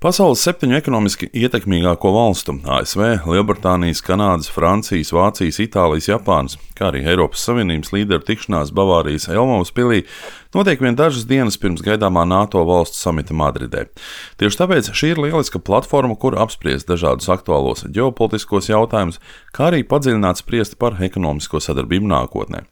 Pasaules 7 ekonomiski ietekmīgāko valstu - ASV, Lielbritānijas, Kanādas, Francijas, Vācijas, Itālijas, Japānas, kā arī Eiropas Savienības līderu tikšanās Bavārijas Elmavas pilī notiek vien dažas dienas pirms gaidāmā NATO valstu samita Madridē. Tieši tāpēc šī ir lieliska platforma, kur apspriest dažādus aktuālos ģeopolitiskos jautājumus, kā arī padziļināt spriest par ekonomisko sadarbību nākotnē.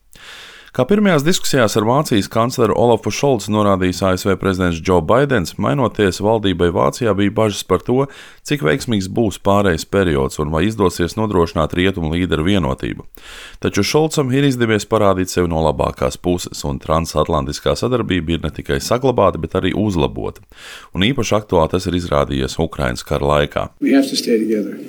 Kā pirmajās diskusijās ar Vācijas kancleru Olafu Šolcu norādījis ASV prezidents Džo Baidens, mainoties valdībai Vācijā bija bažas par to, cik veiksmīgs būs pārejas periods un vai izdosies nodrošināt rietumu līderu vienotību. Taču Šolcam ir izdevies parādīt sevi no labākās puses, un transatlantiskā sadarbība ir ne tikai saglabāta, bet arī uzlabota. Un īpaši aktuāli tas ir izrādījies Ukrainas kara laikā.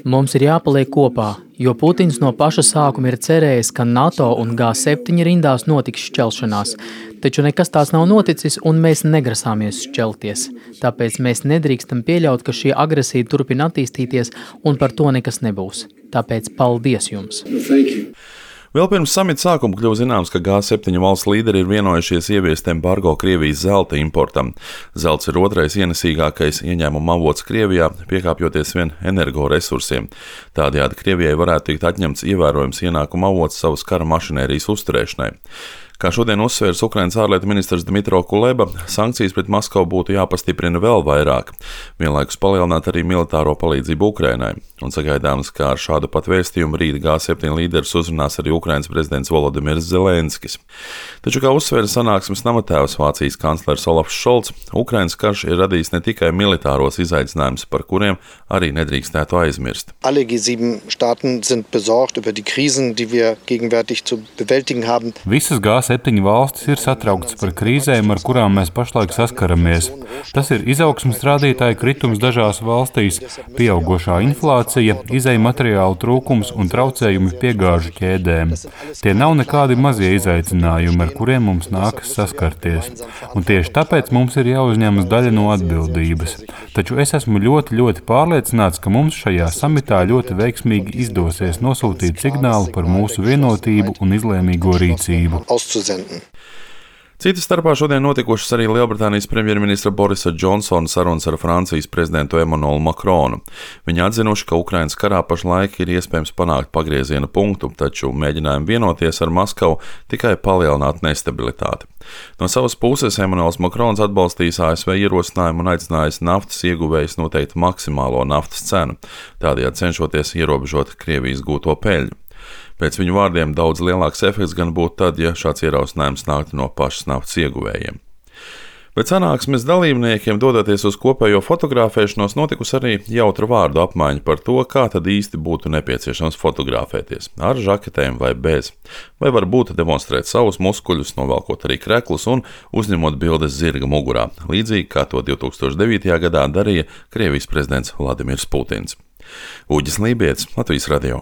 Mums ir jāpaliek kopā, jo Putins no paša sākuma ir cerējis, ka NATO un G7 rindās notiks šķelšanās, taču nekas tās nav noticis un mēs negrasāmies šķelties. Tāpēc mēs nedrīkstam pieļaut, ka šī agresija turpina attīstīties un par to nekas nebūs. Tāpēc paldies jums! Vēl pirms samita sākuma kļuva zināms, ka G7 valsts līderi ir vienojušies ieviest embargo Krievijas zelta importam. Zelts ir otrais ienesīgākais ieņēmuma avots Krievijā, piekāpjoties vien energoresursiem. Tādējādi Krievijai varētu tikt atņemts ievērojams ienākuma avots savas kara mašinērijas uzturēšanai. Kā šodien uzsvērs Ukrainas ārlietu ministrs Dmitro Kuleba, sankcijas pret Maskavu būtu jāpastiprina vēl vairāk, vienlaikus palielināt arī militāro palīdzību Ukrainai. Un sagaidāms, ka ar šādu pat vēstījumu rīt G7 līderus uzrunās arī Ukrainas prezidents Volodimirs Zelenskis. Taču, kā uzsvēra sanāksmes namatēvs Vācijas kanclers Olafs Šolts, Ukrainas karš ir radījis ne tikai militāros izaicinājumus, par kuriem arī nedrīkstētu aizmirst. Alle G7 Staaten sind besorgt über die Krisen, die wir gegenwärtig zu bewältigen haben. Visas G7 valstis ir satrauktas par krīzēm, ar kurām mēs pašlaik saskaramies. Tas ir izaugsmes rādītāju kritums dažās valstīs, pieaugošā inflācija, izēju materiālu trūkums un traucējumi piegāžu ķēdēm. Tie nav nekādi mazie izaicinājumi, ar kuriem mums nākas saskarties. Un tieši tāpēc mums ir jāuzņemas daļa no atbildības. Taču es esmu ļoti pārliecināts, ka mums šajā samitā ļoti veiksmīgi izdosies nosūtīt signālu par mūsu vienotību un izlēmīgo rīcību. Cita starpā šodien notikušas arī Lielbritānijas premjerministra Borisa Džonsona sarunas ar Francijas prezidentu Emmanuelu Macronu. Viņi atzinuši, ka Ukrainas karā pašlaik ir iespējams panākt pagrieziena punktu, taču mēģinājumi vienoties ar Maskavu tikai palielināt nestabilitāti. No savas puses Emmanuels Macrons atbalstījis ASV ierosinājumu un aicinājis naftas ieguvējus noteikt maksimālo naftas cenu, tādējādi cenšoties ierobežot Krievijas gūto peļņu. Pēc viņu vārdiem daudz lielāks efekts gan būtu tad, ja šāds ierosinājums nāktu no pašas naftas ieguvējiem. Bet sanāksmes dalībniekiem dodoties uz kopējo fotografēšanos notikusi arī jautra vārdu apmaiņa par to, kā tad īsti būtu nepieciešams fotografēties - ar žaketēm vai bez. Vai varbūt demonstrēt savus muskuļus, novelkot arī kreklus un uzņemot bildes zirga mugurā, līdzīgi kā to 2009. Gadā darīja Krievijas prezidents Vladimirs Putins. Uģis Lībietis, Latvijas radio.